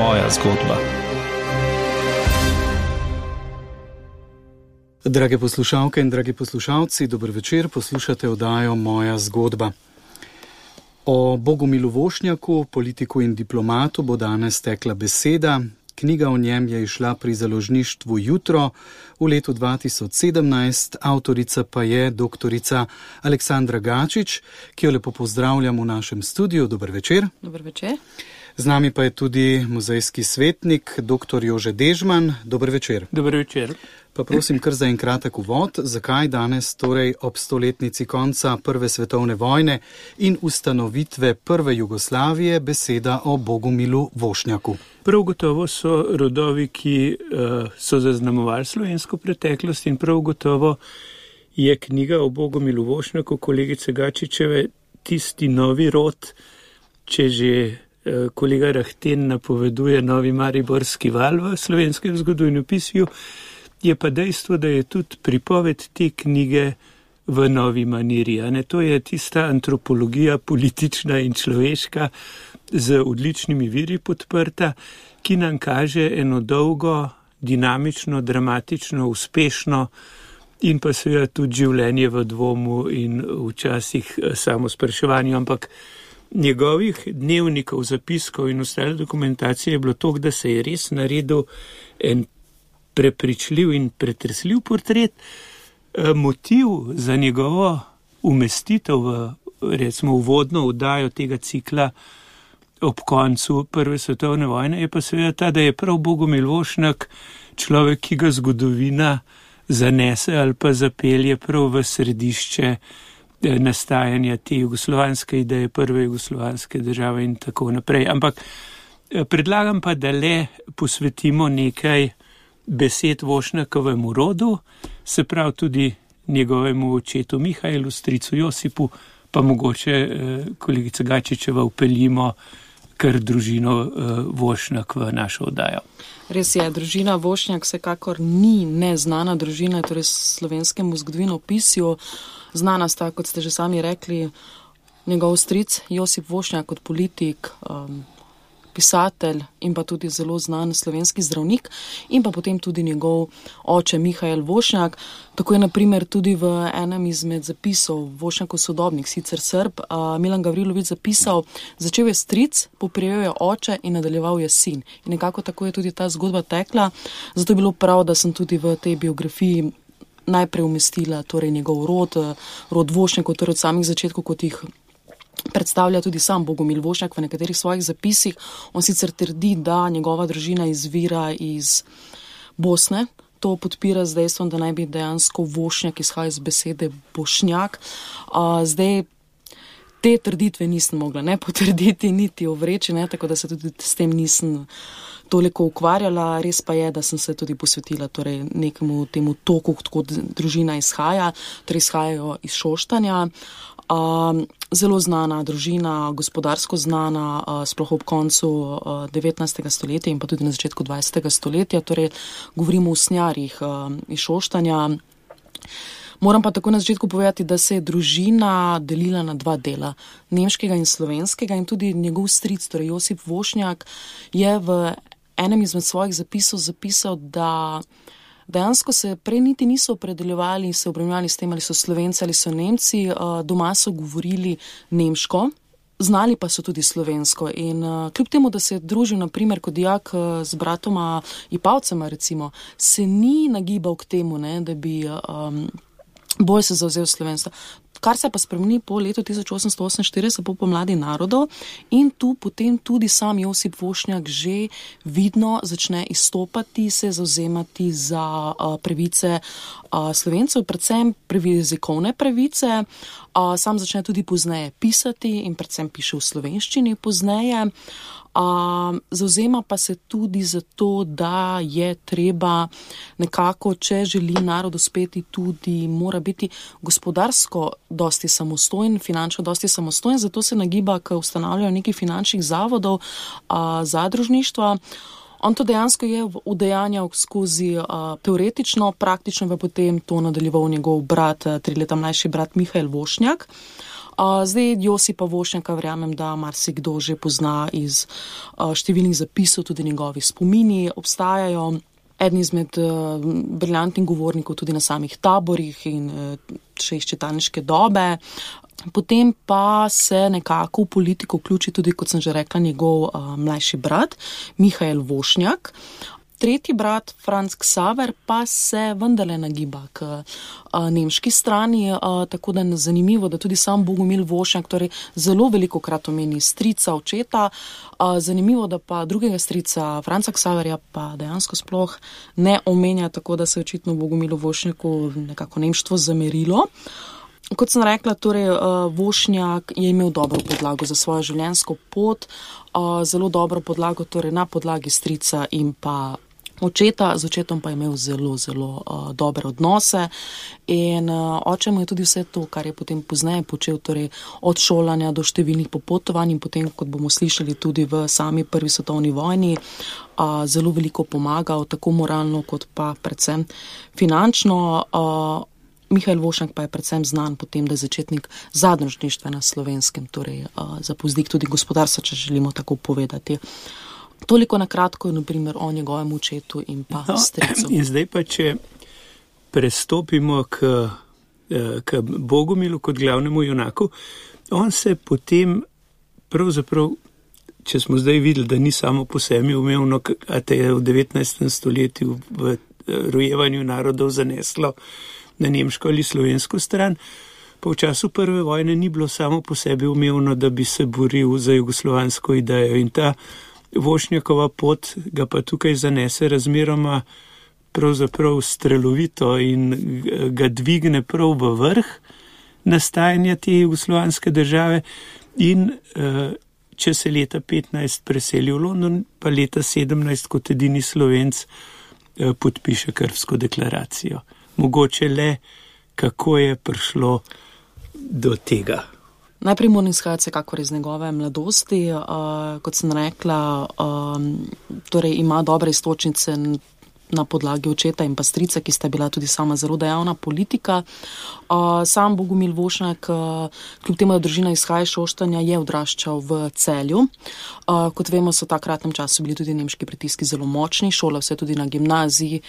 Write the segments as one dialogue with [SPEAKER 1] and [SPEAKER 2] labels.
[SPEAKER 1] moja zgodba.
[SPEAKER 2] Drage poslušalke in dragi poslušalci, dober večer, poslušate oddajo Moja zgodba. O Bogomilu Vošnjaku, politiku in diplomatu, bo danes tekla beseda. Knjiga o njem je izšla pri založništvu Jutro v letu 2017, avtorica pa je doktorica Aleksandra Gačič, ki jo lepo pozdravljam v našem studiu. Dober večer.
[SPEAKER 3] Dober večer.
[SPEAKER 2] Z nami pa je tudi muzejski svetnik, dr. Jože Dežman. Dober večer.
[SPEAKER 4] Dober večer.
[SPEAKER 2] Pa prosim kar za en kratek uvod, zakaj danes torej ob 100-letnici konca Prve svetovne vojne in ustanovitve prve Jugoslavije beseda o Bogomilu Vošnjaku?
[SPEAKER 4] Prav gotovo so rodovi, ki so zaznamovali slovensko preteklost, in prav gotovo je knjiga o Bogomilu Vošnjaku kolegice Gačičeve tisti novi rod, če že kolega Rahten napoveduje novi mariborski val v slovenskem zgodovinopisju, je pa dejstvo, da je tudi pripoved te knjige v novi maniri. To je tista antropologija politična in človeška z odličnimi viri podprta, ki nam kaže eno dolgo, dinamično, dramatično, uspešno in pa seveda tudi življenje v dvomu in včasih samo spraševanju, ampak njegovih dnevnikov, zapiskov in ostale dokumentacije je bilo toliko, da se je res naredil en prepričljiv in pretresljiv portret. Motiv za njegovo umestitev v, recimo, uvodno oddajo tega cikla ob koncu Prve svetovne vojne je pa seveda ta, da je prav Bogomil Vošnjak človek, ki ga zgodovina zanese ali pa zapelje prav v središče nastajanja te jugoslovanske ideje, prve jugoslovanske države in tako naprej. Ampak predlagam pa, da le posvetimo nekaj besed Vošnjakovemu rodu, se pravi tudi njegovemu očetu Mihajlu, stricu Josipu, pa mogoče kolegica Gačičeva upeljimo kar družino Vošnjak v našo oddajo.
[SPEAKER 3] Res je, družina Vošnjak vsekakor ni neznana družina, torej slovenskemu zgodovinopisju. Znana sta, kot ste že sami rekli, njegov stric Josip Vošnjak kot politik, pisatelj in pa tudi zelo znan slovenski zdravnik, in pa potem tudi njegov oče Mihajl Vošnjak. Tako je na primer tudi v enem izmed zapisov Vošnjakov sodobnik, sicer Srb, Milan Gavrilović zapisal: začel je stric, poprijel je oče in nadaljeval je sin. In nekako tako je tudi ta zgodba tekla, zato je bilo prav, da sem tudi v tej biografiji najprej umestila torej njegov rod Vošnjakov, torej od samih začetkov, kot jih predstavlja tudi sam Bogomil Vošnjak v nekaterih svojih zapisih. On sicer trdi, da njegova družina izvira iz Bosne. To podpira z dejstvom, da naj bi dejansko Vošnjak izhaja iz besede Bošnjak. Zdaj te trditve nisem mogla ne potrditi, niti ovreči, tako da se tudi s tem nisem toliko ukvarjala. Res pa je, da sem se tudi posvetila torej nekemu temu toku, kot družina izhaja, torej izhajajo iz Šoštanja. Zelo znana družina, gospodarsko znana, sploh ob koncu 19. stoletja in pa tudi na začetku 20. stoletja, torej govorimo o usnjarjih iz Šoštanja. Moram pa tako na začetku povedati, da se je družina delila na dva dela, nemškega in slovenskega, in tudi njegov stric, torej Josip Vošnjak, je v enem izmed svojih zapisov zapisal, da dejansko se prej niti niso opredeljevali in se obremenjevali s tem, ali so Slovenci ali so Nemci. Doma so govorili nemško, znali pa so tudi slovensko. In kljub temu, da se je družil na primer kot dijak z bratoma Ipavcema, recimo, se ni nagibal k temu, da bi bolj se zavzel slovenstva. Kar se pa spremeni po letu 1848, po pomladi narodov, in tu potem tudi sam Josip Vošnjak že vidno začne izstopati, se zavzemati za pravice Slovencev, predvsem jezikovne pravice. Sam začne tudi pozneje pisati in predvsem piše v slovenščini pozneje. Zavzema pa se tudi za to, da je treba nekako, če želi narod uspeti, tudi mora biti gospodarsko dosti samostojen, finančno dosti samostojen, zato se nagiba k ustanavljanju nekih finančnih zavodov, zadružništva. On to dejansko je udejanjal skozi teoretično, praktično pa potem to nadaljeval njegov brat, 3 leta mlajši brat Mihajl Vošnjak. Zdaj Josipa Vošnjaka verjamem, da marsikdo že pozna iz številnih zapisov, tudi njegovi spomini obstajajo. Eden izmed briljantnih govornikov tudi na samih taborih in še iz čitalniške dobe. Potem pa se nekako v politiko vključi tudi, kot sem že rekla, njegov mlajši brat, Mihael Vošnjak. Tretji brat, Franz Xaver, pa se vendarle nagiba k nemški strani, tako da je zanimivo, da tudi sam Bogomil Vošnjak torej zelo veliko krat omeni strica, očeta. Zanimivo, da pa drugega strica, Franza Xaverja, pa dejansko sploh ne omenja, tako da se očitno Bogomilu Vošnjaku nekako nemštvo zamerilo. Kot sem rekla, torej Vošnjak je imel dobro podlago za svojo življenjsko pot, zelo dobro podlago torej na podlagi strica in pa očeta, z očetom pa je imel zelo dobre odnose in oče mu je tudi vse to, kar je potem pozneje počel, torej od šolanja do številnih popotovanj in potem, kot bomo slišali tudi v sami prvi svetovni vojni, zelo veliko pomagal, tako moralno kot pa predvsem finančno. Mihael Vošnjak pa je predvsem znan potem, da je začetnik zadružništva na Slovenskem, torej za povzdik tudi gospodarstva, če želimo tako povedati. Toliko na kratko, naprimer, o njegovem očetu in pa stricu.
[SPEAKER 4] In zdaj pa, če prestopimo k Bogomilu kot glavnemu junaku, on se potem pravzaprav, če smo zdaj videli, da ni samo po sebi umevno, a te je v 19. stoletju v rojevanju narodov zaneslo na nemško ali slovensko stran, pa v času prve vojne ni bilo samo po sebi umevno, da bi se boril za jugoslovansko idejo in ta Vošnjakova pot ga pa tukaj zanese razmeroma pravzaprav strelovito in ga dvigne prav v vrh nastajanja te jugoslovanske države in če se leta 15 preseli v London, pa leta 17 kot edini Slovenc podpiše Krfsko deklaracijo. Mogoče le, kako je prišlo do tega.
[SPEAKER 3] Najprej moram izhajati vsekakor iz njegove mladosti. Kot sem rekla, torej ima dobre iztočnice na podlagi očeta in pa strica, ki sta bila tudi sama zelo dejavna politika. Sam Bogomil Vošnjak, kljub temu, da družina izhaja iz Šoštanja, je odraščal v Celju. Kot vemo, so v takratnem času bili tudi nemški pritiski zelo močni, šolal se tudi na gimnaziji,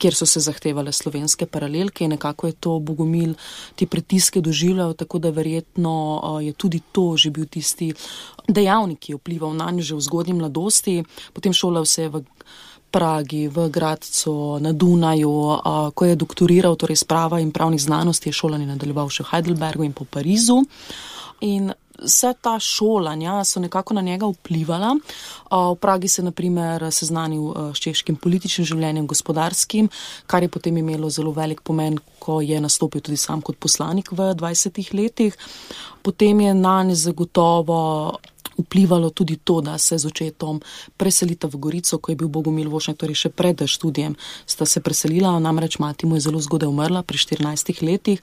[SPEAKER 3] kjer so se zahtevale slovenske paralelke in nekako je to Bogomil te pritiske doživljal, tako da verjetno je tudi to že bil tisti dejavnik, ki je vplival na njo že v zgodnji mladosti. Potem šolal se je v Pragi, v Gradcu, na Dunaju, ko je doktoriral, torej iz prava in pravnih znanosti, je šolanje nadaljeval še v Heidelbergu in po Parizu. In vse ta šolanja so nekako na njega vplivala. V Pragi se naprimer seznanil s češkim političnim življenjem, gospodarskim, kar je potem imelo zelo velik pomen, ko je nastopil tudi sam kot poslanik v 20 letih. Potem je nanj zagotovo vplivalo tudi to, da se z očetom preselita v Gorico, ko je bil Bogomil Vošnjak, torej še pred študijem sta se preselila, namreč mati mu je zelo zgodaj umrla pri 14 letih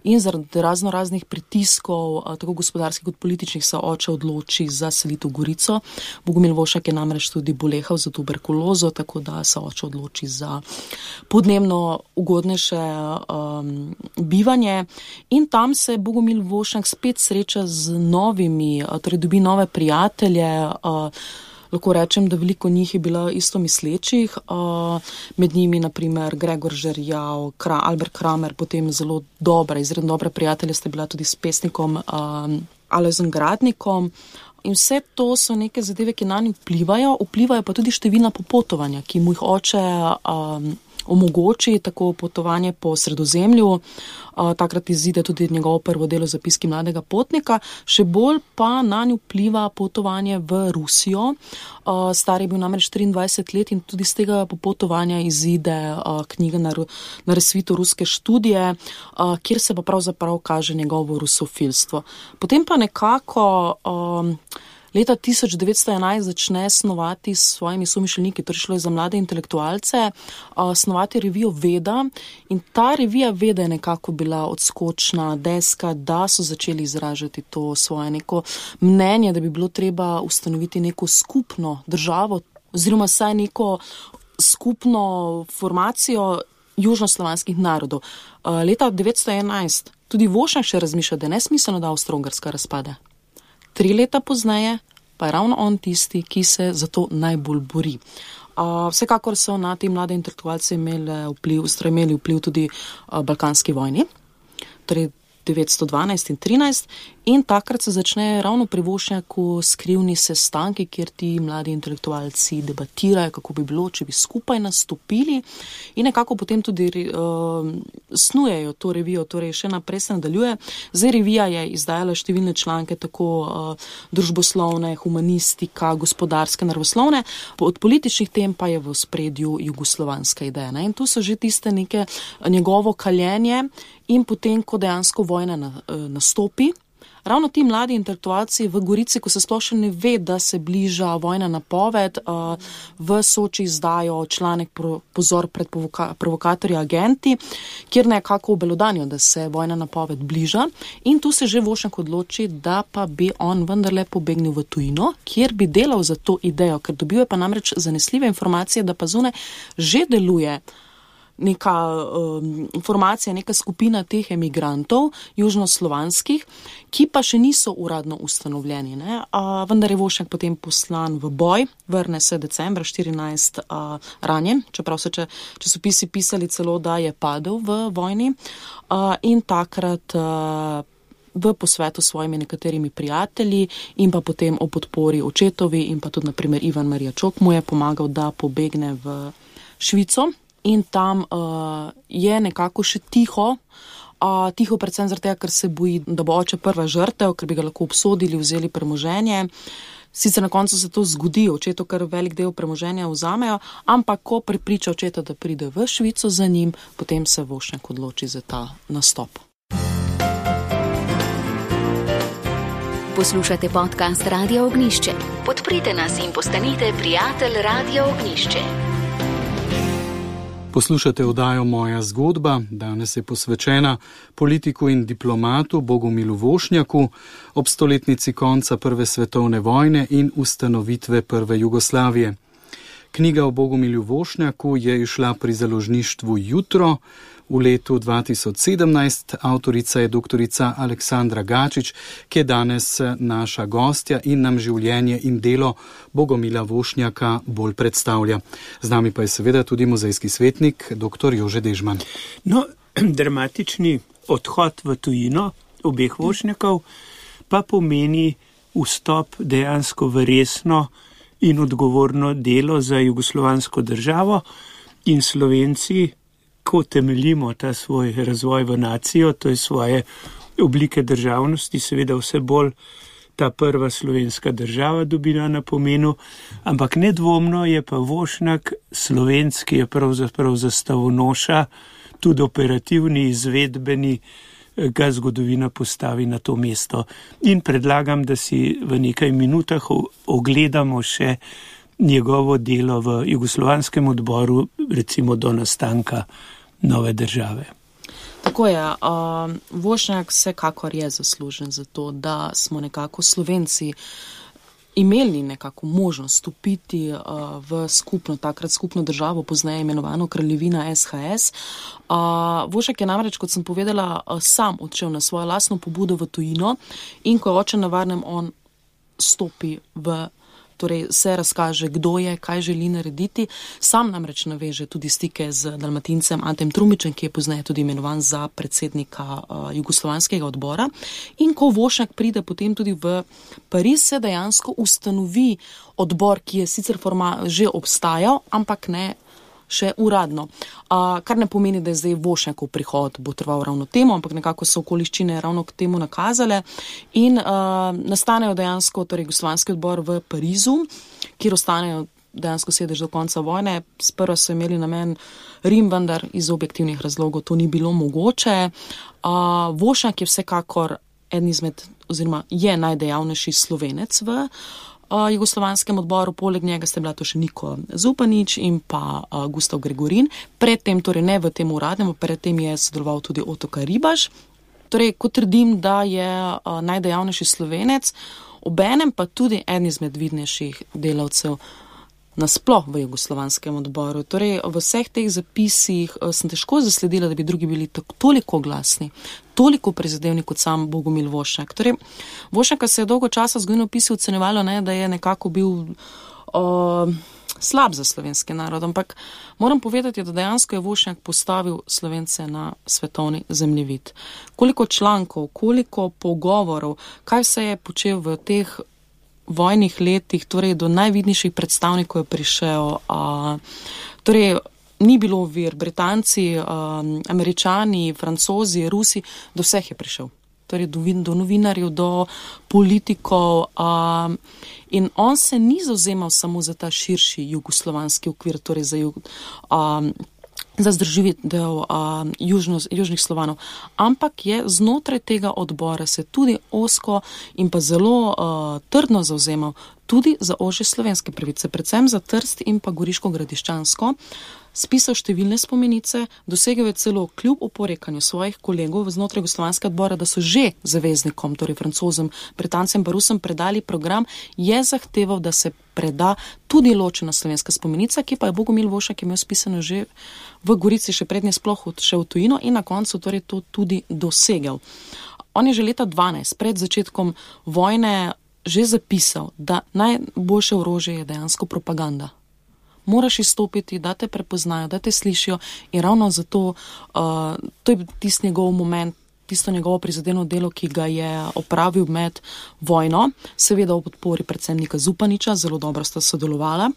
[SPEAKER 3] in zaradi raznih pritiskov, tako gospodarskih kot političnih, se oče odloči za selitev v Gorico. Bogomil Vošnjak je namreč tudi bolehal za tuberkulozo, tako da se oče odloči za podnebno ugodnejše bivanje in tam se Bogomil Vošnjak spet sreča z novimi, torej dobi nove prijatelje, lahko rečem, da veliko njih je bilo isto mislečih, med njimi naprimer Gregor Žerjav, Albert Kramer, potem zelo izredno dobre prijatelje sta bila tudi s pesnikom Alojzom Gradnikom. In vse to so neke zadeve, ki na njih vplivajo pa tudi številna popotovanja, ki mu jih oče omogoči, tako potovanje po Sredozemlju. Takrat izide tudi njegovo prvo delo Zapiski mladega potnika, še bolj pa na njo vpliva potovanje v Rusijo. Star je bil namreč 23 let in tudi z tega popotovanja izide knjiga na razsvitu ruske študije, kjer se pa pravzaprav kaže njegovo rusofilstvo. Potem pa nekako leta 1911 začne snovati s svojimi somišljeniki, torej šlo je za mlade intelektualce, snovati revijo Veda in ta revija Veda je nekako bila odskočna deska, da so začeli izražati to svoje neko mnenje, da bi bilo treba ustanoviti neko skupno državo oziroma saj neko skupno formacijo južnoslovanskih narodov. Leta 1911 tudi Vošnjak še razmišlja, da je nesmiselno, da Avstro-Ogrska razpade. 3 leta pozneje pa je ravno on tisti, ki se za to najbolj bori. Vsekakor so na te mlade intelektualce imeli vpliv tudi balkanski vojni, torej 912 in 13, in takrat se začnejo ravno pri Vošnjaku skrivni sestanki, kjer ti mladi intelektualci debatirajo, kako bi bilo, če bi skupaj nastopili, in nekako potem tudi snujejo to revijo, torej še naprej se nadaljuje. Zdaj revija je izdajala številne članke, tako družboslovne, humanistika, gospodarske, naravoslovne, od političnih tem pa je v ospredju jugoslovanska ideja. In tu so že tiste neke njegovo kaljenje. In potem, ko dejansko vojna nastopi, ravno ti mladi intelektualci v Gorici, ko se sploh še ne ve, da se bliža vojna napoved, v Soči izdajo članek Pozor pred provokatorji agenti, kjer nekako obelodanijo, da se vojna napoved bliža, in tu se že Vošnjak odloči, da pa bi on vendarle pobegnil v tujino, kjer bi delal za to idejo, ker dobijo pa namreč zanesljive informacije, da pa zunaj že deluje neka formacija, neka skupina teh emigrantov, južnoslovanskih, ki pa še niso uradno ustanovljeni. Vendar je Vošnjak potem poslan v boj, vrne se decembra 14 ranjen, čeprav so časopisi pisali celo, da je padel v vojni, in takrat v posvetu s svojimi nekaterimi prijatelji in pa potem o podpori očetovi in pa tudi naprimer Ivan Marija Čok mu je pomagal, da pobegne v Švico. In tam je nekako še tiho predvsem zaradi tega, ker se boji, da bo oče prva žrtev, ker bi ga lahko obsodili, vzeli premoženje. Sicer na koncu se to zgodi, očetu kar velik del premoženja vzamejo, ampak ko prepriča očeta, da pride v Švico za njim, potem se Vošnjak odloči za ta nastop.
[SPEAKER 1] Poslušate podcast Radio Ognjišče. Podprite nas in postanite prijatelj Radio Ognjišče.
[SPEAKER 2] Poslušate oddajo Moja zgodba, danes je posvečena politiku in diplomatu Bogumilu Vošnjaku ob stoletnici konca Prve svetovne vojne in ustanovitve Prve Jugoslavije. Knjiga o Bogumilju Vošnjaku je izšla pri založništvu Jutro v letu 2017. Avtorica je doktorica Aleksandra Gačič, ki je danes naša gostja in nam življenje in delo Bogumila Vošnjaka bolj predstavlja. Z nami pa je seveda tudi muzejski svetnik dr. Jože Dežman.
[SPEAKER 4] Dramatični odhod v tujino obeh Vošnjakov pa pomeni vstop dejansko v resno in odgovorno delo za jugoslovansko državo, in Slovenci, ko temeljimo ta svoj razvoj v nacijo, to je svoje oblike državnosti, seveda vse bolj ta prva slovenska država dobila na pomenu, ampak nedvomno je pa Vošnjak Slovenc, ki je pravzaprav zastavonoša, tudi operativni, izvedbeni, ga zgodovina postavi na to mesto. In predlagam, da si v nekaj minutah ogledamo še njegovo delo v jugoslovanskem odboru, recimo do nastanka nove države.
[SPEAKER 3] Tako je. Vošnjak vsekakor je zaslužen za to, da smo nekako Slovenci imeli nekako možnost stopiti v takrat skupno državo, pozneje imenovano Kraljevina SHS. Vošnjak je namreč, kot sem povedala, sam odšel na svojo lastno pobudo v tujino, in ko je oče na varnem, on stopi torej se razkaže, kdo je, kaj želi narediti. Sam namreč naveže tudi stike z Dalmatincem Antem Trumičem, ki je pozneje tudi imenovan za predsednika jugoslovanskega odbora. In ko Vošnjak pride potem tudi v Pariz, se dejansko ustanovi odbor, ki je sicer že obstajal, ampak ne še uradno. Kar ne pomeni, da je zdaj Vošnjakov prihod bo trval ravno temu, ampak nekako so okoliščine ravno k temu nakazale in nastanejo dejansko jugoslovanski odbor v Parizu, kjer ostanejo dejansko sedež do konca vojne. Sprva so imeli namen Rim, vendar iz objektivnih razlogov to ni bilo mogoče. Vošnjak je vsekakor eden izmed, oziroma je najdejavnejši Slovenec v jugoslovanskem odboru, poleg njega sta bila to še Niko Zupanič in pa Gustav Gregorin. Predtem, torej ne v tem uradnem, predtem je sodeloval tudi Ottokar Ribaš. Torej, ko trdim, da je najdejavnejši Slovenec, obenem pa tudi eden izmed vidnejših delavcev nasploh v jugoslovanskem odboru. Torej, v vseh teh zapisih sem težko zasledila, da bi drugi bili toliko glasni, toliko prizadevni kot sam Bogomil Vošnjak. Torej, Vošnjaka se je dolgo časa zgodovinopisci ocenjevalo, da je nekako bil slab za slovenski narod, ampak moram povedati, da dejansko je Vošnjak postavil Slovence na svetovni zemljevid. Koliko člankov, koliko pogovorov, kaj se je počel v teh vojnih letih, torej do najvidnejših predstavnikov je prišel, torej ni bilo vir, Britanci, Američani, Francozi, Rusi, do vseh je prišel. Torej do novinarjev, do politikov in on se ni zauzemal samo za ta širši jugoslovanski okvir, torej za združitev južnih Slovanov, ampak je znotraj tega odbora se tudi ozko in pa zelo trdno zauzemal tudi za ožje slovenske pravice, predvsem za Trst in pa Goriško Gradiščansko, spisal številne spomenice, dosegel je celo kljub oporekanju svojih kolegov znotraj jugoslovanskega odbora, da so že zaveznikom, torej Francozom, Britancem pa Rusom predali program, je zahteval, da se preda tudi ločena slovenska spomenica, ki pa je Bogomil Vošnjak imel spisano že v Gorici, še prednje sploh šel v tujino in na koncu torej to tudi dosegel. On je že leta 12, pred začetkom vojne, že zapisal, da najboljše orožje je dejansko propaganda. Moraš izstopiti, da te prepoznajo, da te slišijo in ravno zato to je tisti njegov moment, tisto njegovo prizadeno delo, ki ga je opravil med vojno, seveda v podpori predvsem Nika Zupaniča, zelo dobro sta sodelovala.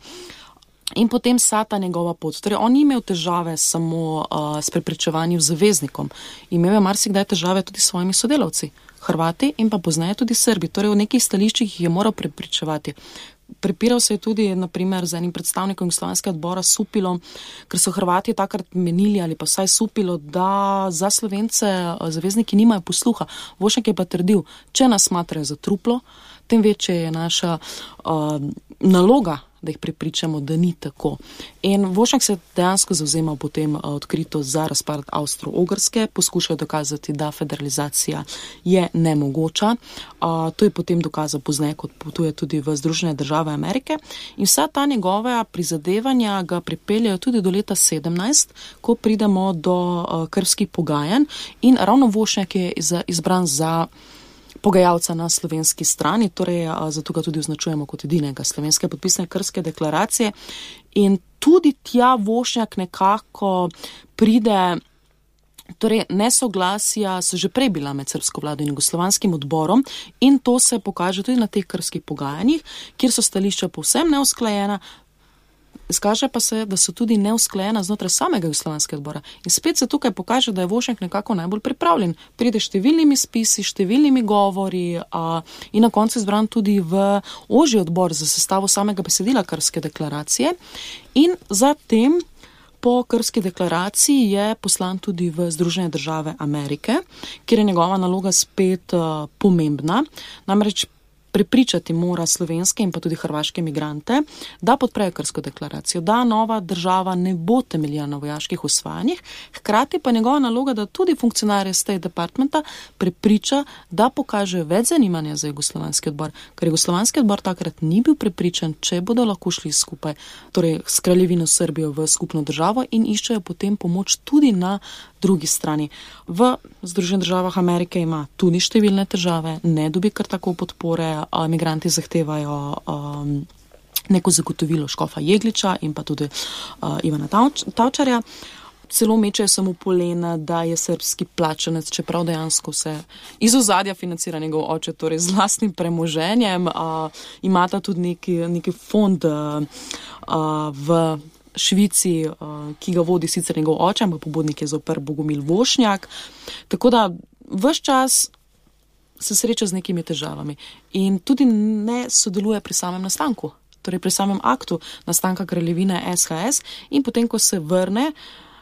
[SPEAKER 3] In potem vsa ta njegova pot. Torej, on ni imel težave samo s prepričevanjem zaveznikom. Imel je marsikdaj težave tudi s svojimi sodelavci, Hrvati in pa pozneje tudi Srbi. Torej, v nekih stališčih jih je moral prepričevati. Prepiral se je tudi, naprimer, z enim predstavnikom jugoslovanskega odbora Supilom, ker so Hrvati takrat menili, ali pa vsaj Supilo, da za Slovence zavezniki nimajo posluha. Vošnjak je pa trdil, če nas smatrajo za truplo, tem večje je naša naloga, da jih prepričamo, da ni tako. In Vošnjak se dejansko zavzemal potem odkrito za razpad Avstro-Ogrske, poskušal dokazati, da federalizacija je nemogoča. To je potem dokazal pozneje, kot potuje tudi v Združene države Amerike. In vsa ta njegova prizadevanja ga pripeljajo tudi do leta 17, ko pridemo do krvskih pogajanj in ravno Vošnjak je izbran za pogajalca na slovenski strani, torej zato ga tudi označujemo kot edinega slovenske podpisane krvske deklaracije. In tudi tja Vošnjak nekako pride, torej nesoglasja so že prej bila med srbsko vlado in jugoslovanskim odborom in to se pokaže tudi na teh krvskih pogajanjih, kjer so stališča povsem neusklajena, izkaže pa se, da so tudi neusklajena znotraj samega jugoslovanskega odbora. In spet se tukaj pokaže, da je Vošnjak nekako najbolj pripravljen. Pride številnimi spisi, številnimi govori in na koncu izbran tudi v ožji odbor za sestavo samega besedila krvske deklaracije. In zatem po krvski deklaraciji je poslan tudi v Združene države Amerike, kjer je njegova naloga spet pomembna. Namreč prepričati mora slovenske in pa tudi hrvaške migrante, da podprejo krvsko deklaracijo, da nova država ne bo temeljila na vojaških osvajanjih, hkrati pa njegova naloga, da tudi funkcionarje State Departmenta prepriča, da pokaže več zanimanja za jugoslovanski odbor, ker jugoslovanski odbor takrat ni bil prepričan, če bodo lahko šli skupaj, torej s kraljevino Srbijo v skupno državo in iščejo potem pomoč tudi na drugi strani. V Združenih državah Amerike ima tudi številne težave, ne dobi kar tako podpore, migranti zahtevajo neko zagotovilo škofa Jegliča in pa tudi Ivana Tavčarja. Celo mečejo samo polena, da je srbski plačanec, čeprav dejansko se iz ozadja financira njegov oče, torej z lastnim premoženjem. Imata tudi neki fond v Švici, ki ga vodi sicer njegov oče, ampak pobudnik je zoper Bogomil Vošnjak. Tako da ves čas se sreča z nekimi težavami in tudi ne sodeluje pri samem nastanku, torej pri samem aktu nastanka kraljevine SHS in potem, ko se vrne,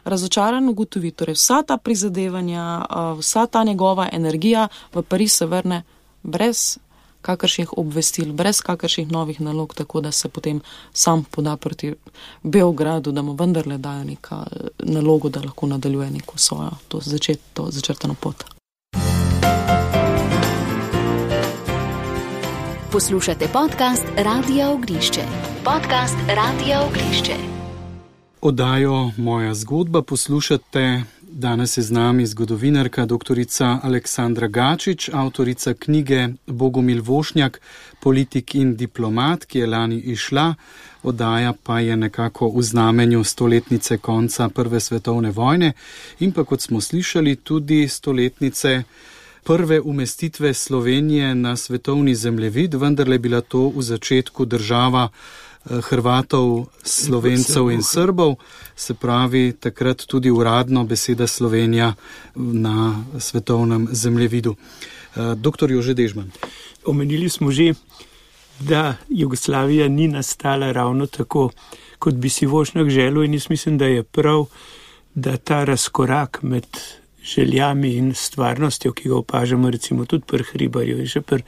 [SPEAKER 3] razočaran ugotovi, torej vsa ta prizadevanja, vsa ta njegova energija v Pariz se vrne brez kakršnih obvestil, brez kakršnih novih nalog, tako da se potem sam poda proti Beogradu, da mu vendarle dajo neka nalogo, da lahko nadaljuje neko svojo začrtano pot.
[SPEAKER 1] Poslušate podcast Radia Ognišče. Podcast Radia Ognišče.
[SPEAKER 2] Oddajo Moja zgodba poslušate. Danes je z nami zgodovinarka doktorica Aleksandra Gačič, avtorica knjige Bogomil Vošnjak, politik in diplomat, ki je lani izšla. Oddaja pa je nekako v znamenju stoletnice konca Prve svetovne vojne in pa, kot smo slišali, tudi stoletnice prve umestitve Slovenije na svetovni zemljevid, vendarle je bila to v začetku država Hrvatov, Slovencev in Srbov, se pravi takrat tudi uradno beseda Slovenija na svetovnem zemljevidu. Doktor Jože Dežman.
[SPEAKER 4] Omenili smo že, da Jugoslavija ni nastala ravno tako, kot bi si Vošnjak želel, in jaz mislim, da je prav, da ta razkorak med željami in stvarnostjo, ki ga opažamo recimo tudi pri Hribarju in še pri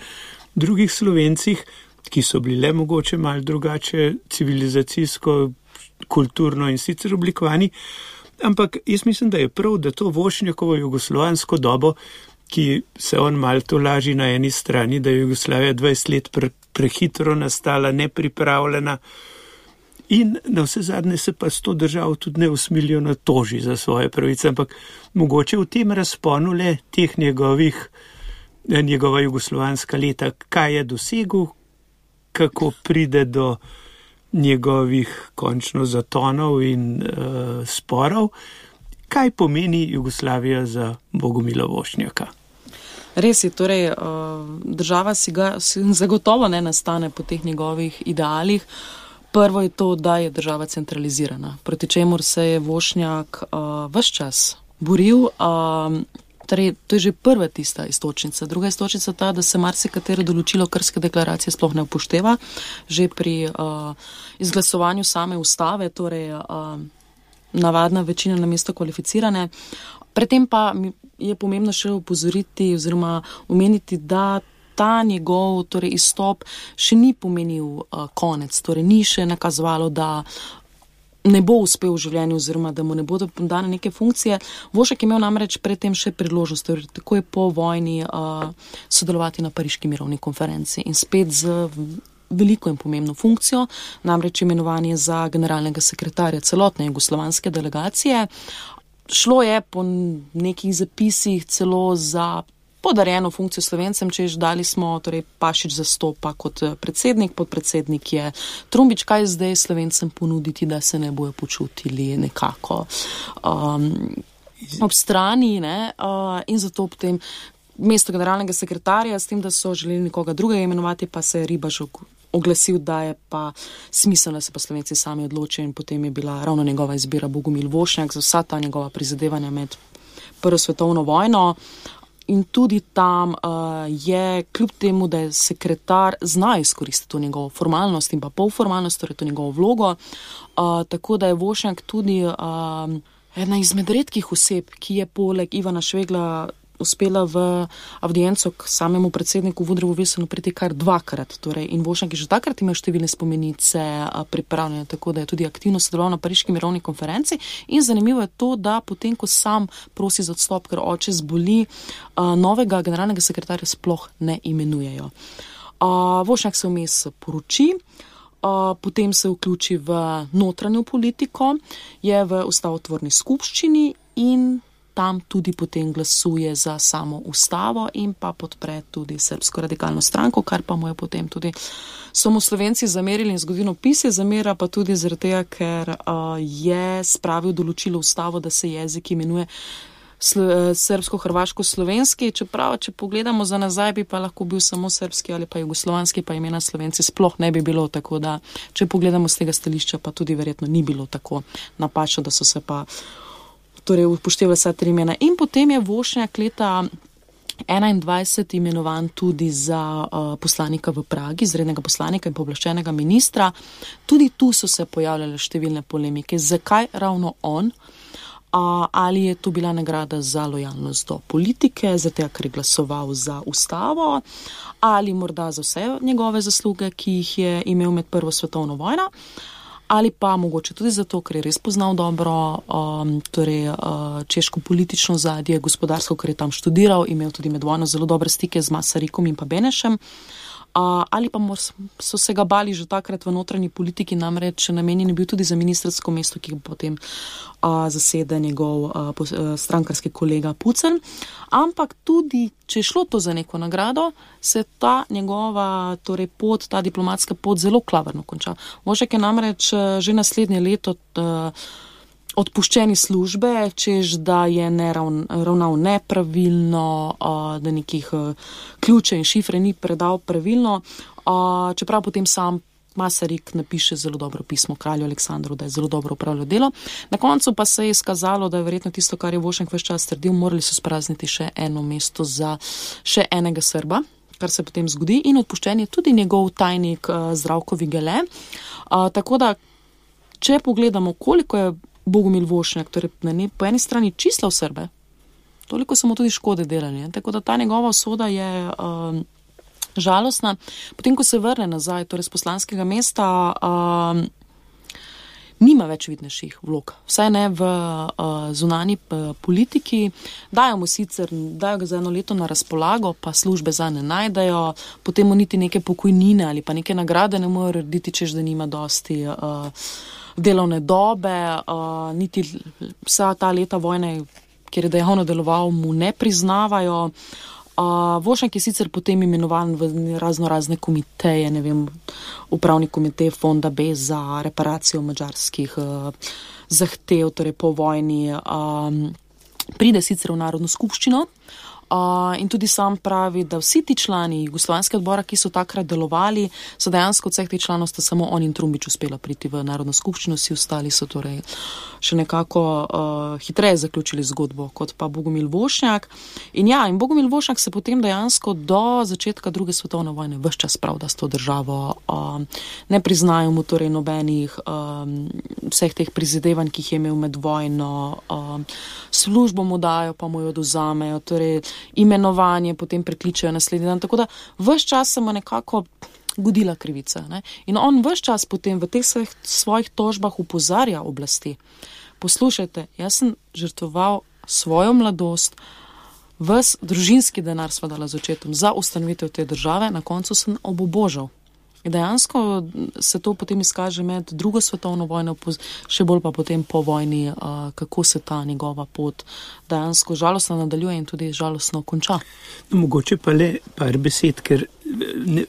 [SPEAKER 4] drugih Slovencih, ki so bili le mogoče malo drugače civilizacijsko, kulturno in sicer oblikovani, ampak jaz mislim, da je prav, da to Vošnjakovo jugoslovansko dobo, ki se on malo to laži na eni strani, da je Jugoslavija 20 let prehitro nastala, nepripravljena in na vse zadnje se pa s to državo tudi neusmiljeno toži za svoje pravice, ampak mogoče v tem razponu le teh njegova jugoslovanska leta, kaj je dosegel, kako pride do njegovih končno zatonov in sporov, kaj pomeni Jugoslavija za Bogomila Vošnjaka.
[SPEAKER 3] Res je, torej država si zagotovo ne nastane po teh njegovih idealih. Prvo je to, da je država centralizirana, proti čemur se je Vošnjak ves čas boril. Torej, to je že prva tista istočnica. Druga istočnica ta, da se marsikatero določilo Krške deklaracije sploh ne upošteva. Že pri izglasovanju same ustave, torej navadna večina namesto kvalificirane. Predtem pa je pomembno še opozoriti oziroma omeniti, da ta njegov torej izstop še ni pomenil konec. Torej, ni še nakazovalo, da ne bo uspel v življenju oziroma da mu ne bodo dane neke funkcije. Vošnjak je imel namreč predtem še priložnost, torej tako je po vojni sodelovati na Pariški mirovni konferenci in spet z veliko in pomembno funkcijo, namreč imenovanje za generalnega sekretarja celotne jugoslovanske delegacije. Šlo je po nekih zapisih celo za podarjeno funkcijo Slovencem, češ dali smo, torej Pašič zastopa kot predsednik, podpredsednik je Trumbič, kaj zdaj Slovencem ponuditi, da se ne bojo počutili nekako ob strani, ne? In zato potem mesto generalnega sekretarja, s tem, da so želeli nekoga drugega imenovati, pa se je Ribaž oglasil, da je pa smiselno, da se pa Slovenci sami odločijo in potem je bila ravno njegova izbira Bogomil Vošnjak za vsa ta njegova prizadevanja med Prvo svetovno vojno. In tudi tam je, kljub temu, da je sekretar zna izkoristiti to njegovo formalnost in pa polformalnost, torej to njegovo vlogo, tako da je Vošnjak tudi ena izmed redkih oseb, ki je poleg Ivana Švegla uspela v avdienco k samemu predsedniku Woodrowu Wilsonu priti kar dvakrat. Torej, in Vošnjak je že takrat imel številne spomenice pripravljene, tako da je tudi aktivno sodeloval na Pariški mirovni konferenci. In zanimivo je to, da potem, ko sam prosi za odstop, ker oče zboli, novega generalnega sekretarja sploh ne imenujejo. Vošnjak se vmes poroči, potem se vključi v notranjo politiko, je v ustavotvorni skupščini in tam tudi potem glasuje za samo ustavo in pa podpre tudi Srbsko radikalno stranko, kar pa mu je potem tudi so mu Slovenci zamerili in zgodovinopisje zamera, pa tudi zaradi tega, ker je spravil določilo ustavo, da se jezik imenuje srbsko-hrvaško-slovenski, čeprav, če pogledamo za nazaj, bi pa lahko bil samo srbski ali pa jugoslovanski, pa imena Slovenci sploh ne bi bilo, tako da, če pogledamo z tega stališča, pa tudi verjetno ni bilo tako napačno, da so se pa torej upoštevali vsa tri imena. In potem je Vošnjak leta 21 imenovan tudi za poslanika v Pragi, izrednega poslanika in pooblaščenega ministra. Tudi tu so se pojavljale številne polemike. Zakaj ravno on? Ali je to bila nagrada za lojalnost do politike, zato ker je glasoval za ustavo, ali morda za vse njegove zasluge, ki jih je imel med Prvo svetovno vojno, ali pa mogoče tudi zato, ker je res poznal dobro češko politično ozadje, gospodarsko, ker je tam študiral, imel tudi med vojno zelo dobre stike z Masarikom in pa Benešem. ali pa so se ga bali že takrat v notranji politiki, namreč namenjen je bil tudi za ministrsko mesto, ki ga potem zasede njegov strankarski kolega Pucelj. Ampak tudi, če je šlo to za neko nagrado, se ta njegova pot, ta diplomatska pot zelo klavrno konča. Vošnjak je namreč že naslednje leto odpuščeni službe, čež da je ravnal nepravilno, da nekih ključe in šifre ni predal pravilno, čeprav potem sam Masaryk napiše zelo dobro pismo kralju Aleksandru, da je zelo dobro upravljal delo. Na koncu pa se je izkazalo, da je verjetno tisto, kar je Vošnjak ves čas trdil, morali so sprazniti še eno mesto za še enega Srba, kar se potem zgodi, in odpuščen je tudi njegov tajnik Zdravko Vigele. Tako da, če pogledamo, koliko je Bogomil Vošnjak, torej po eni strani čislal Srbe, toliko so mu tudi škode delali. Tako da ta njegova usoda je žalostna. Potem, ko se vrne nazaj, torej z poslanskega mesta, nima več vidnejših vlog. Vsaj ne v zunanji politiki. Dajo ga za 1 leto na razpolago, pa službe za ne najdejo, potem mu niti neke pokojnine ali pa neke nagrade ne morejo rediti, češ da nima dosti delovne dobe, niti vsa ta leta vojne, kjer je dejavno deloval, mu ne priznavajo. Vošnjak je sicer potem imenovan v razne komiteje, ne vem, upravni komitej Fonda B za reparacijo madžarskih zahtev, torej po vojni. Pride sicer v Narodno skupščino in tudi sam pravi, da vsi ti člani Jugoslovanskega odbora, ki so takrat delovali, so dejansko od vseh teh članov sta samo on in Trumbič uspela priti v Narodno skupščino, vsi ostali so torej še nekako hitreje zaključili zgodbo kot pa Bogomil Vošnjak. In Bogomil Vošnjak se potem dejansko do začetka 2. svetovne vojne ves čas pravda s to državo. Ne priznajo mu torej nobenih vseh teh prizadevanj, ki jih je imel med vojno. Službo mu dajo, pa mu jo odvzamejo, torej imenovanje potem prekličejo naslednji dan. Tako da ves čas se mu nekako godila krivica. Ne? In on ves čas potem v teh svojih tožbah opozarja oblasti. Poslušajte, jaz sem žrtvoval svojo mladost, ves družinski denar sva dala z očetom za ustanovitev te države, na koncu sem obubožal. In dejansko se to potem izkaže med 2. svetovno vojno, še bolj pa potem po vojni, kako se ta njegova pot dejansko žalostno nadaljuje in tudi žalostno konča.
[SPEAKER 4] No, mogoče pa le par besed, ker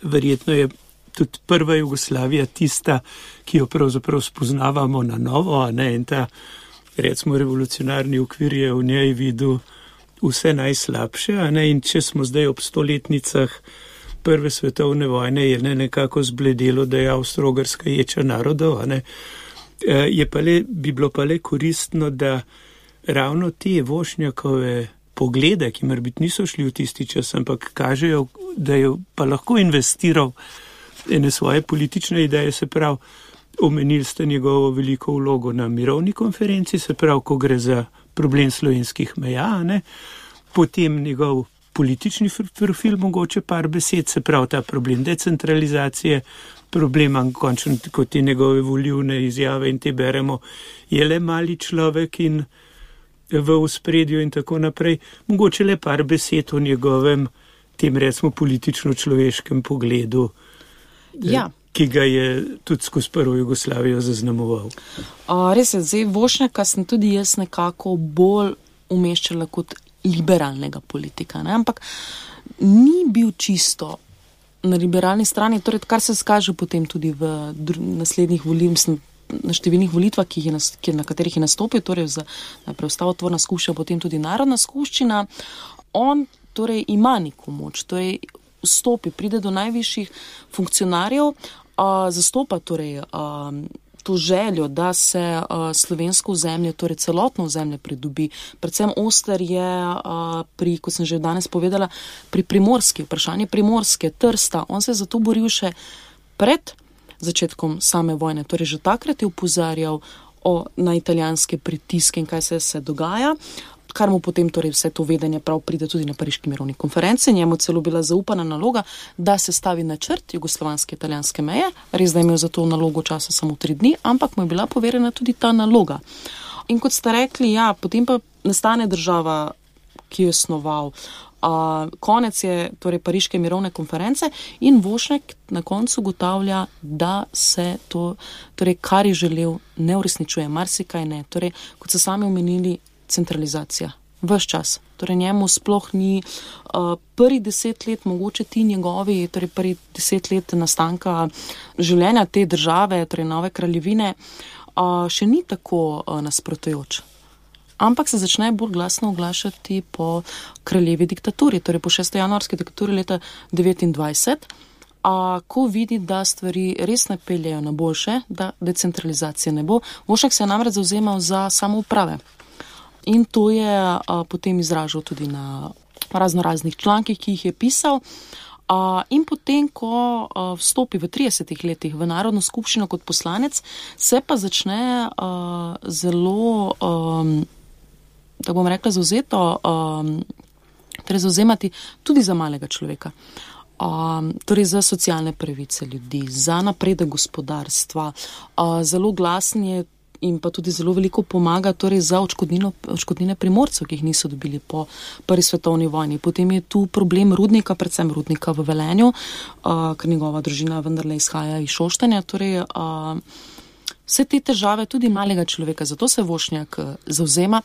[SPEAKER 4] verjetno je tudi prva Jugoslavija tista, ki jo pravzaprav spoznavamo na novo, in ta, recimo, revolucionarni okvir je v njej videl vse najslabše, in če smo zdaj ob 100-letnicah Prve svetovne vojne, je nekako zbledelo, da je Avstro-Ogrska ječa narodov, bi bilo pa le koristno, da ravno te Vošnjakove poglede, ki morbiti niso šli v tisti čas, ampak kažejo, da je pa lahko investiral ene svoje politične ideje, se pravi, omenili ste njegovo veliko vlogo na mirovni konferenci, se pravi, ko gre za problem slovenskih meja, potem njegov politični profil, mogoče par besed, se pravi ta problem decentralizacije, problema končno, kot te njegove volivne izjave in te beremo, je le mali človek in v ospredju in tako naprej. Mogoče le par besed o njegovem, tem recimo politično-človeškem pogledu, ki ga je tudi skozi prvo Jugoslavijo zaznamoval.
[SPEAKER 3] Res je, zdaj Vošnjaka sem tudi jaz nekako bolj umeščala kot liberalnega politika, ampak ni bil čisto na liberalni strani, torej kar se skaže potem tudi v naslednjih na številnih volitvah, na katerih je nastopil, torej najprej ustavotvorna skupščina, potem tudi Narodna skupščina. On torej ima neko moč, torej vstopi, pride do najvišjih funkcionarjev, zastopa torej to željo, da se slovensko ozemlje, torej celotno ozemlje pridobi. Predvsem oster je kot sem že danes povedala, pri Primorski, vprašanje Primorske, Trsta. On se je zato boril še pred začetkom same vojne. Torej že takrat je opozarjal na italijanske pritiske in kaj se dogaja, kar mu potem torej vse to vedenje prav pride tudi na Pariški mirovni konferenci. Njemu celo bila zaupana naloga, da se stavi načrt jugoslovanske italijanske meje. Res, da je imel za to nalogo časa samo 3 dni, ampak mu je bila poverjena tudi ta naloga. In kot ste rekli, potem pa nastane država, ki jo je snoval. Konec je torej Pariške mirovne konference in Vošnjak na koncu ugotavlja, da se to, torej kar je želel, ne uresničuje, marsikaj ne. Torej, kot so sami omenili, centralizacija. Ves čas. Torej njemu sploh ni prvi 10 let, mogoče ti njegovi, torej prvi 10 let nastanka življenja te države, torej nove kraljevine, še ni tako nasprotujoč. Ampak se začne bolj glasno oglašati po kraljevi diktaturi, torej po 6. januarski diktaturi leta 1929, ko vidi, da stvari res ne peljejo na boljše, da decentralizacije ne bo. Vošnjak se je namreč zavzemal za samouprave. In to je potem izražal tudi na raznoraznih člankih, ki jih je pisal. In potem, ko vstopi v 30 letih v Narodno skupščino kot poslanec, se pa začne zelo, tako bom rekla, zavzemati tudi za malega človeka. Torej za socialne pravice ljudi, za napredek gospodarstva. Zelo glasen je in pa tudi zelo veliko pomaga torej za odškodnine Primorcev, ki jih niso dobili po prvi svetovni vojni. Potem je tu problem rudnika, predvsem rudnika v Velenju, ker njegova družina vendarle izhaja iz Šoštanja. Torej, vse te težave tudi malega človeka, zato se Vošnjak zavzema.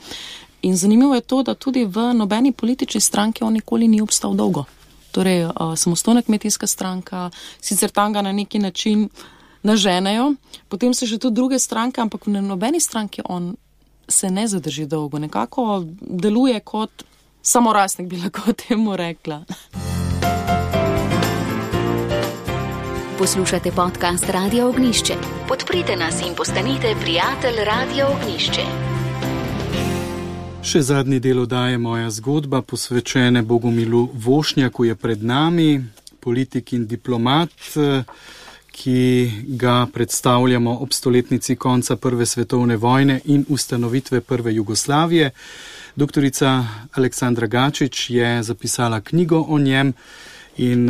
[SPEAKER 3] In zanimivo je to, da tudi v nobeni politični stranki on nikoli ni obstal dolgo. Torej, samostojna kmetijska stranka, sicer tam ga na neki način naženejo, potem se že tudi druge stranke, ampak v nobeni stranki on se ne zadrži dolgo. Nekako deluje kot samorastnik, bi lahko temu rekla.
[SPEAKER 1] Poslušate podcast Radio Ognjišče. Podprite nas in postanite prijatelj Radio Ognjišče.
[SPEAKER 2] Še zadnji del oddaje Moja zgodba, posvečene Bogomilu Vošnjaku, je pred nami, politik in diplomat, ki ga predstavljamo ob stoletnici konca Prve svetovne vojne in ustanovitve prve Jugoslavije. Doktorica Aleksandra Gačič je zapisala knjigo o njem in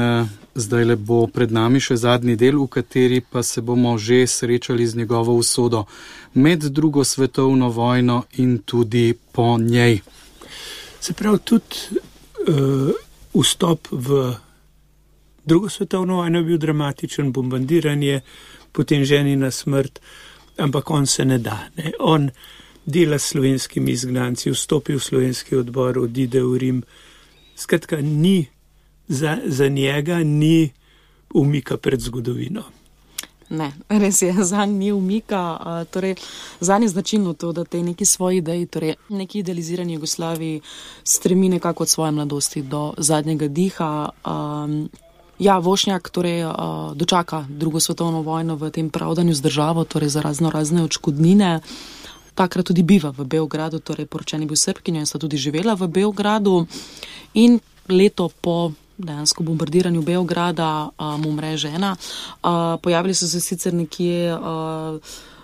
[SPEAKER 2] zdajle bo pred nami še zadnji del, v kateri pa se bomo že srečali z njegovo usodo med drugo svetovno vojno in tudi po njej.
[SPEAKER 4] Se pravi, tudi vstop v drugo svetovno vojno je bil dramatičen, bombardiranje, potem ženina smrt, ampak on se ne da. Ne? On dela s slovenskimi izgnanci, vstopi v slovenski odbor, odide v Rim. Skratka, ni za njega ni umika pred zgodovino.
[SPEAKER 3] Ne, res je, zanj ni umika. Torej, zanj je značilno to, da te neki svoji ideji, torej neki idealizirani Jugoslaviji stremi nekako od svoje mladosti do zadnjega diha. Vošnjak torej dočaka drugo svetovno vojno v tem pravdanju z državo, torej za razne odškodnine. Takrat tudi biva v Beogradu, torej poročen je bil Srbkinjo in sta tudi živela v Beogradu. In leto po dejansko bombardiranju Beograda mu umre žena. Pojavili so se sicer nekje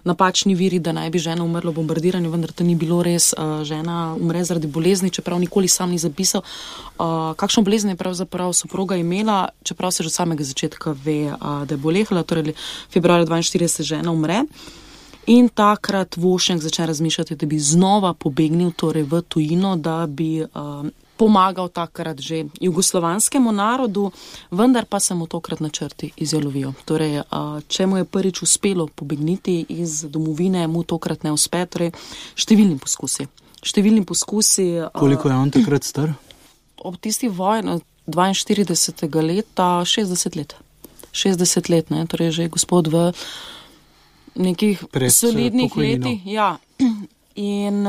[SPEAKER 3] napačni viri, da naj bi žena umrla v bombardiranju, vendar to ni bilo res. Žena umre zaradi bolezni, čeprav nikoli sam ni zapisal, kakšno bolezen je pravzaprav soproga imela, čeprav se že od samega začetka ve, da je bolehala, torej februarja 1942 žena umre. In takrat Vošnjak začne razmišljati, da bi znova pobegnil torej v tujino, da bi pomagal takrat že jugoslovanskemu narodu, vendar pa se mu tokrat načrti izjalovijo. Torej, če mu je prvič uspelo pobegniti iz domovine, mu tokrat ne uspe, torej številni poskusi.
[SPEAKER 2] Koliko je on takrat star?
[SPEAKER 3] Ob tisti vojni 42. leta 60 let. 60 let, ne? Torej že gospod v nekih solidnih letih. Ja. In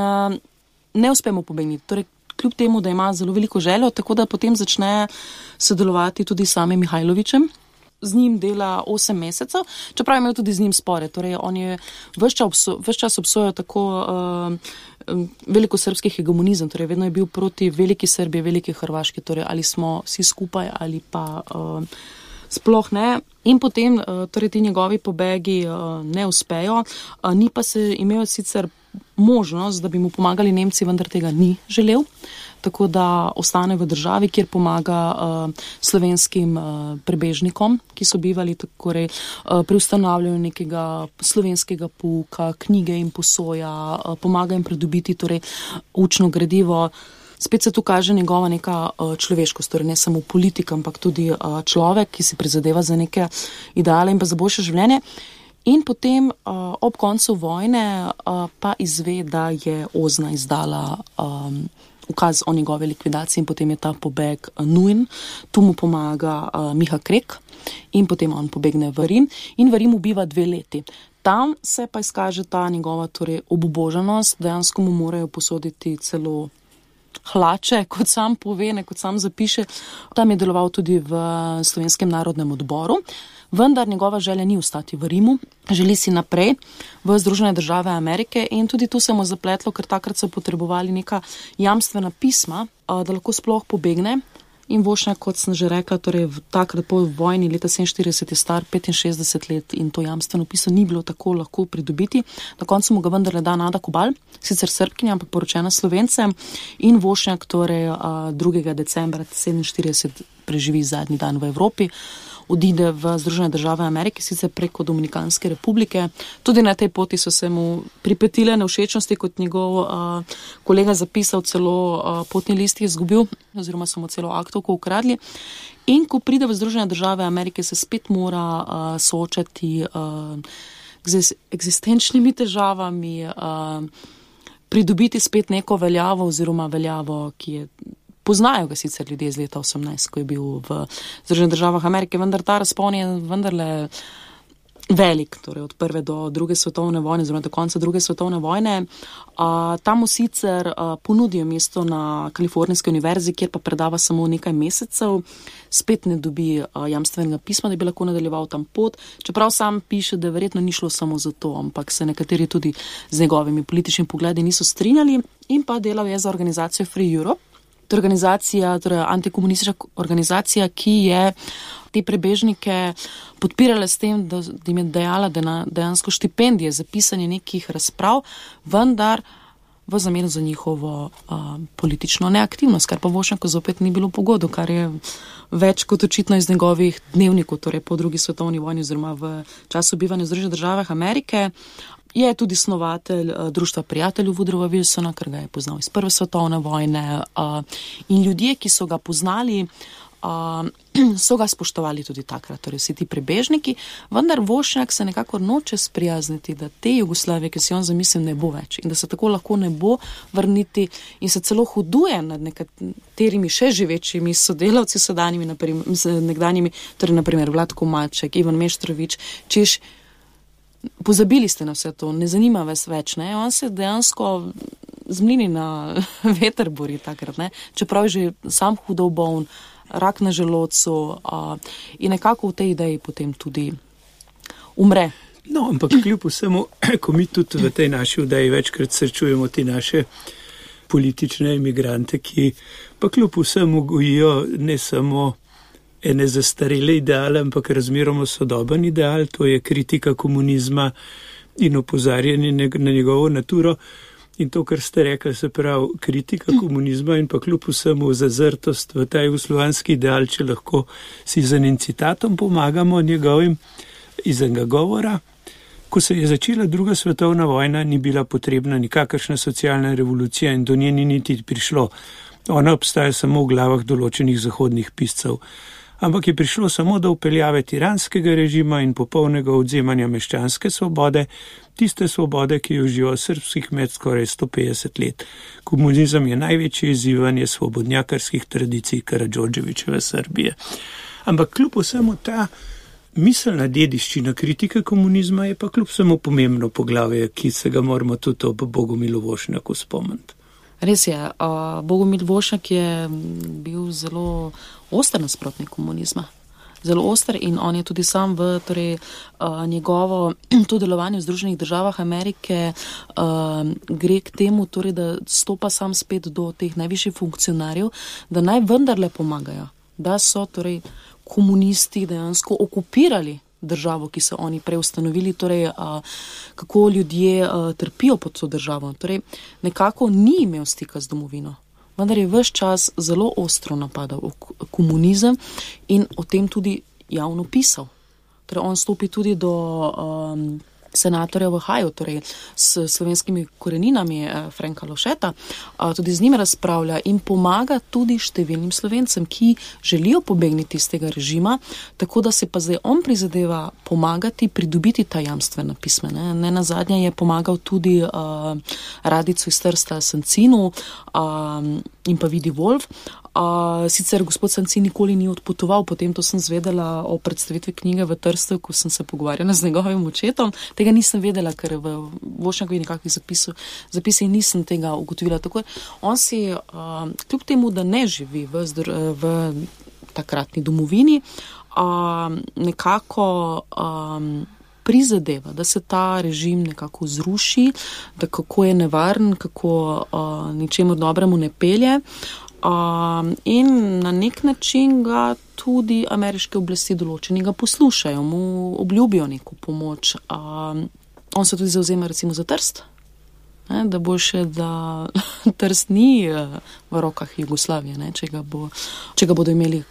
[SPEAKER 3] ne uspe mu pobegniti. Torej, kljub temu, da ima zelo veliko željo, tako da potem začne sodelovati tudi s samim Mihajlovićem. Z njim dela 8 mesecev, čeprav je imel tudi z njim spore. Torej, on je ves čas obsojal tako velikosrbski hegemonizem, torej vedno je bil proti veliki Srbiji, veliki Hrvaški, torej ali smo vsi skupaj ali pa sploh ne. In potem torej ti njegovi pobegi ne uspejo, ni pa se imel sicer možnost, da bi mu pomagali Nemci, vendar tega ni želel, tako da ostane v državi, kjer pomaga slovenskim prebežnikom, ki so bivali torej, pri ustanavljanju nekega slovenskega pouka, knjige jim posoja, pomaga jim pridobiti torej, učno gradivo. spet se tu kaže njegova neka človeškost, torej ne samo politika, ampak tudi človek, ki si prizadeva za neke ideale in pa za boljše življenje. In potem ob koncu vojne pa izve, da je OZNA izdala ukaz o njegove likvidaciji in potem je ta pobeg nujen. Tu mu pomaga Miha Krek in potem on pobegne v Rim in v Rimu biva 2 leti. Tam se pa izkaže ta njegova torej obubožanost, dejansko mu morajo posoditi celo hlače, kot sam pove, ne kot sam zapiše. Tam je deloval tudi v Slovenskem narodnem odboru, vendar njegova želja ni ostati v Rimu, želi si naprej v Združene države Amerike in tudi tu se mu zapletlo, ker takrat so potrebovali neka jamstvena pisma, da lahko sploh pobegne. In Vošnjak, kot sem že rekla, torej takrat po vojni leta 47 je star 65 let in to jamstveno pismo ni bilo tako lahko pridobiti. Na koncu mu ga vendarle da Nada Kobal, sicer Srbkinja, ampak poročena Slovencem, in Vošnjak torej 2. decembra 47 preživi zadnji dan v Evropi. Odide v Združene države Amerike, sicer preko Dominikanske republike. Tudi na tej poti so se mu pripetile nevšečnosti, kot njegov kolega zapisal, celo potni list je izgubil, oziroma so mu celo aktovko ukradli. In ko pride v Združene države Amerike, se spet mora soočati z eksistenčnimi težavami, pridobiti spet neko veljavo, oziroma veljavo, ki je. Poznajo ga sicer ljudje iz leta 18, ko je bil v Združenih državah Amerike, vendar ta razpon je vendarle velik, torej od 1. do 2. svetovne vojne, oziroma do konca 2. svetovne vojne. Tam mu sicer ponudijo mesto na Kalifornijski univerzi, kjer pa predava samo nekaj mesecev, spet ne dobi jamstvenega pisma, da bi lahko nadaljeval tam pot, čeprav sam piše, da verjetno ni šlo samo za to, ampak se nekateri tudi z njegovimi političnimi pogledi niso strinjali in pa delal je za organizacijo Free Europe. To je organizacija, torej antikomunistična organizacija, ki je te prebežnike podpirala s tem, da jim je dajala dejansko štipendije za pisanje nekih razprav, vendar v zameno za njihovo politično neaktivnost, kar pa Vošnjaku zopet ni bilo pogodo, kar je več kot očitno iz njegovih dnevnikov, torej po 2. svetovni vojni oziroma v času bivanja v Združenih državah Amerike. Je tudi snovatelj Društva prijateljev Woodrowa Wilsona, ker ga je poznal iz 1. svetovne vojne, in ljudje, ki so ga poznali, so ga spoštovali tudi takrat, torej vsi ti prebežniki, vendar Vošnjak se nekako noče sprijazniti, da te Jugoslavije, ki si on zamislil, ne bo več in da se tako lahko ne bo vrniti in se celo huduje nad nekaterimi še živečimi sodelavci sedanjimi, nekdanjimi, torej naprimer Vlatko Maček, Ivan Meštrović, češ, pozabili ste na vse to, ne zanima vas več, ne? On se dejansko zmlini na veter bori takrat, ne? Čeprav je že sam hudo boln, rak na želodcu in nekako v tej ideji potem tudi umre.
[SPEAKER 4] No, ampak kljub vsemu, ko mi tudi v tej naši vdaji večkrat srečujemo te naše politične imigrante, ki pa kljub vsemu gojijo ne samo ene zastarele ideale, ampak razmeroma sodoben ideal, to je kritika komunizma in opozarjanje na njegovo naturo. In to, kar ste rekli, se pravi kritika komunizma in pa kljub vsemu zazrtost v ta jugoslovanski ideal, če lahko si z enim citatom pomagamo njegovim iz enega govora. Ko se je začela 2. svetovna vojna, ni bila potrebna nikakršna socialna revolucija in do nje ni niti prišlo. Ona obstaja samo v glavah določenih zahodnih piscev. Ampak je prišlo samo do vpeljave tiranskega režima in popolnega odzemanja meščanske svobode, tiste svobode, ki jo uživa srbski kmet skoraj 150 let. Komunizem je največje izzivanje svobodnjakarskih tradicij Karadžordževićeve Srbije. Ampak kljub vsemu ta miselna dediščina kritike komunizma je pa kljub vsemu pomembno poglavje, ki se ga moramo tudi ob Bogomilu Vošnjaku spomniti.
[SPEAKER 3] Res je, Bogomil Vošnjak je bil zelo oster nasprotnik komunizma. Zelo oster in on je tudi sam v njegovo to delovanje v Združenih državah Amerike gre k temu, torej, da stopa sam spet do teh najvišjih funkcionarjev, da naj vendarle pomagajo, da so torej komunisti dejansko okupirali državo, ki so oni prej ustanovili, torej kako ljudje trpijo pod to državo. Torej nekako ni imel stika z domovino, vendar je ves čas zelo ostro napadal komunizem in o tem tudi javno pisal. Torej on stopi tudi do senatorja v Ohaju, torej s slovenskimi koreninami Franka Lovšeta, tudi z njim razpravlja in pomaga tudi številnim Slovencem, ki želijo pobegniti iz tega režima, tako da se pa zdaj on prizadeva pomagati, pridobiti ta jamstvena pisma. Ne nazadnje je pomagal tudi Radicu iz Trsta Sancinu in pa Vidi Wolf. Sicer gospod Sancin nikoli ni odpotoval, potem to sem zvedela o predstavitvi knjige v Trstu, ko sem se pogovarjala z njegovim očetom. Tega nisem vedela, ker v Vošnjakovi nekakvih zapisih nisem tega ugotovila. Tako on si, kljub temu, da ne živi v takratni domovini, nekako prizadeva, da se ta režim nekako zruši, da kako je nevaren, kako ničemu dobremu ne pelje. In na nek način ga tudi ameriške oblasti določeni ga poslušajo, mu obljubijo neko pomoč. On se tudi zavzema recimo za Trst, da bo še, da Trst ni v rokah Jugoslavije, če ga bodo imeli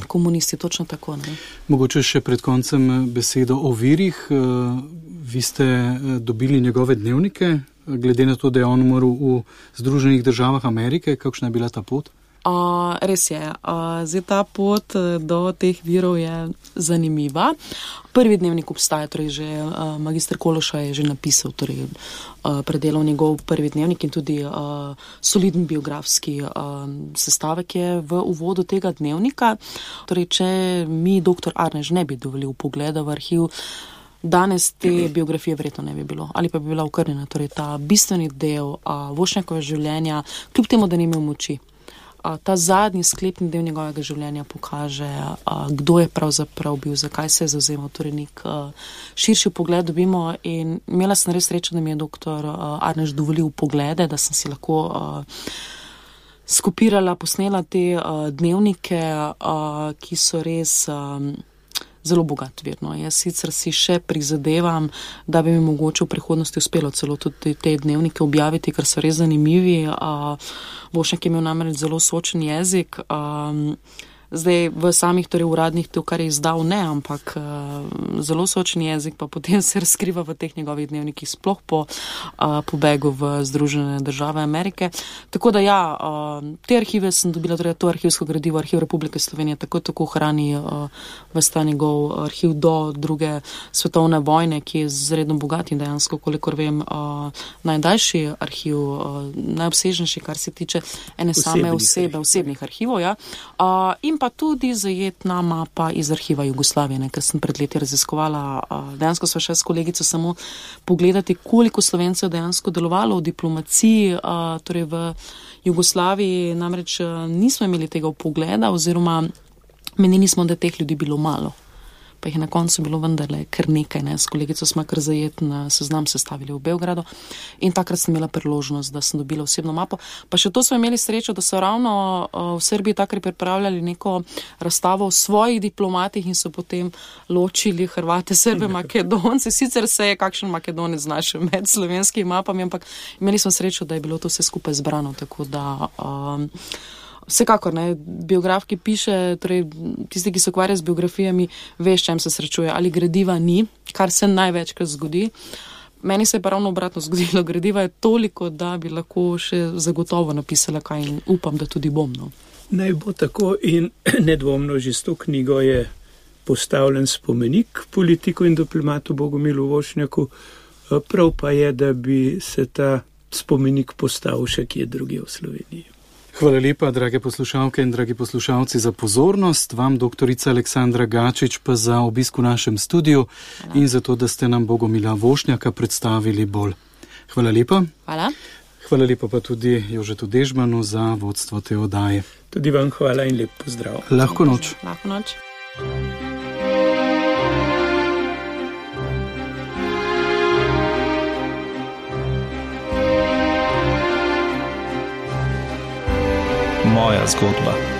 [SPEAKER 3] komunisti, točno tako. Ne?
[SPEAKER 2] Mogoče še pred koncem besedo o virih. Vi ste dobili njegove dnevnike, glede na to, da je on umrl v Združenih državah Amerike. Kakšna je bila ta pot?
[SPEAKER 3] Res je. Zdaj ta pot do teh virov je zanimiva. Prvi dnevnik obstaja, torej že magister Kološa je že napisal, torej predelal njegov prvi dnevnik in tudi soliden biografski sestavek je v uvodu tega dnevnika. Torej, če mi dr. Arnež ne bi dovolil pogleda v arhiv, danes te biografije verjetno ne bi bilo, ali pa bi bila okrnjena. Torej, ta bistveni del Vošnjakove življenja, kljub temu, da ni imel moči. Ta zadnji sklepni del njegovega življenja pokaže, kdo je pravzaprav bil, zakaj se je zavzemal, torej nek širši pogled dobimo in imela sem res srečo, da mi je dr. Arnež dovolil poglede, da sem si lahko skopirala, posnela te dnevnike, ki so res zelo bogat vir. Jaz sicer si še prizadevam, da bi mi mogoče v prihodnosti uspelo celo tudi te dnevnike objaviti, ker so res zanimivi. Vošnjak je imel namreč zelo sočen jezik. Zdaj v samih torej uradnih to, kar je izdal, ne, ampak zelo sočen jezik pa potem se razkriva v teh njegovih dnevnikih, sploh po pobegu v Združene države Amerike. Tako da ja, te arhive sem dobila, torej to arhivsko gradivo, Arhiv Republike Slovenije tako hrani ves ta njegov arhiv do druge svetovne vojne, ki je zredno bogat in dejansko, kolikor vem, najdaljši arhiv, najobsežnejši, kar se tiče ene same osebe, osebnih arhivov, ja. In pa tudi zajetna mapa iz arhiva Jugoslavije, ker sem pred leti raziskovala, dejansko sva šla s kolegico samo pogledati, koliko Slovencev dejansko delovalo v diplomaciji, torej v Jugoslaviji, namreč nismo imeli tega vpogleda oziroma menili smo, da teh ljudi bilo malo. Pa jih je na koncu bilo vendarle kar nekaj. S kolegico smo kar zajeten seznam sestavili v Beogradu in takrat sem imela priložnost, da sem dobila osebno mapo. Pa še to smo imeli srečo, da so ravno v Srbiji takrat pripravljali neko razstavo o svojih diplomatih in so potem ločili Hrvate, Srbe, Makedonce. Sicer se je kakšen Makedonec znašel med slovenskimi mapami, ampak imeli smo srečo, da je bilo to vse skupaj zbrano, tako da vsekakor, biograf, ki piše, torej tisti, ki se ukvarja z biografijami, veš, čem se srečuje, ali gradiva ni, kar se največkrat zgodi. Meni se je pa ravno obratno zgodilo, gradiva je toliko, da bi lahko še zagotovo napisala kaj in upam, da tudi bom.
[SPEAKER 4] Naj bo tako in nedvomno že s to knjigo je postavljen spomenik politiku in diplomatu Bogomilu Vošnjaku, prav pa je, da bi se ta spomenik postavil še kje drugje v Sloveniji.
[SPEAKER 2] Hvala lepa, drage poslušalke in dragi poslušalci, za pozornost. Vam, doktorica Aleksandra Gačič, pa za obisk v našem studiu in za to, da ste nam Bogomila Vošnjaka predstavili bolj. Hvala lepa.
[SPEAKER 3] Hvala.
[SPEAKER 2] Hvala lepa pa tudi Jožetu Dežmanu za vodstvo te oddaje.
[SPEAKER 4] Tudi vam hvala in lep pozdrav.
[SPEAKER 2] Lahko noč.
[SPEAKER 3] Lahko noč.
[SPEAKER 5] Moja zgodba.